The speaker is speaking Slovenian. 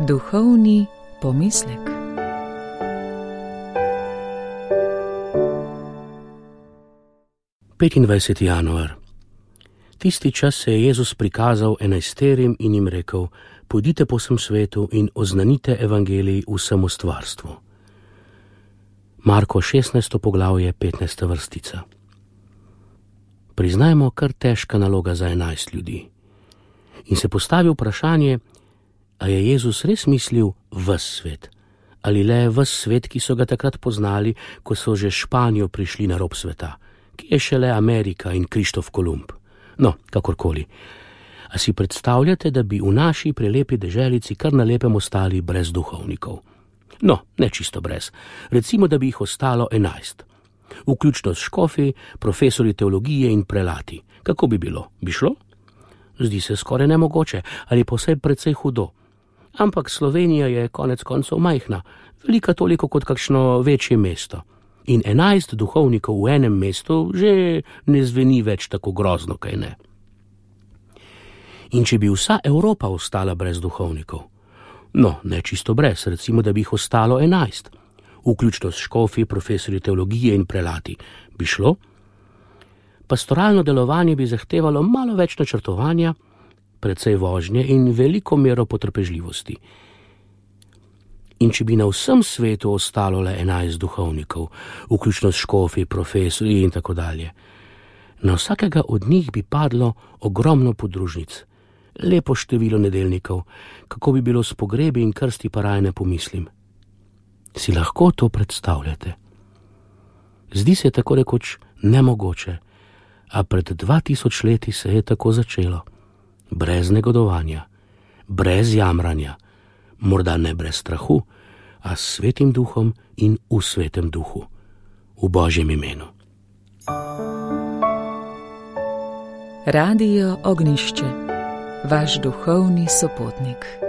Duhovni pomislek. Petindvajseti januar. Tisti čas se je Jezus prikazal enajsterim in jim rekel: pojdite po vsem svetu in oznanite evangelij vsemu stvarstvu. Marko 16. poglavje, 15. vrstica. Priznajmo, kar težka naloga za 11 ljudi. In se postavi vprašanje, a je Jezus res mislil ves svet? Ali le ves svet, ki so ga takrat poznali, ko so že Španijo prišli na rob sveta, ki je šele Amerika in Krištof Kolumb? No, kakorkoli. A si predstavljate, da bi v naši prelepi deželici kar na lepem ostali brez duhovnikov? No, ne čisto brez. Recimo, da bi jih ostalo 11. Vključno s škofi, profesori teologije in prelati. Kako bi bilo? Bi šlo? Zdi se skoraj nemogoče, ali pa vsaj precej hudo. Ampak Slovenija je konec koncev majhna, velika toliko kot kakšno večje mesto. In 11 duhovnikov v enem mestu že ne zveni več tako grozno, kaj ne. In če bi vsa Evropa ostala brez duhovnikov? No, ne čisto brez, recimo, da bi jih ostalo 11. Vključno s škofi, profesori teologije in prelati. Bi šlo? Pastoralno delovanje bi zahtevalo malo več načrtovanja, precej vožnje in veliko mero potrpežljivosti. In če bi na vsem svetu ostalo le 11 duhovnikov, vključno s škofi, profesori in tako dalje, na vsakega od njih bi padlo ogromno podružnic, lepo število nedeljnikov, kako bi bilo s pogrebi in krsti, pa raje ne pomislim. Si lahko to predstavljate? Zdi se tako rekoč nemogoče, a pred 2000 leti se je tako začelo. Brez negodovanja, brez jamranja, morda ne brez strahu, a s Svetim duhom in v Svetem duhu, v Božjem imenu. Radio Ognjišče, vaš duhovni sopotnik.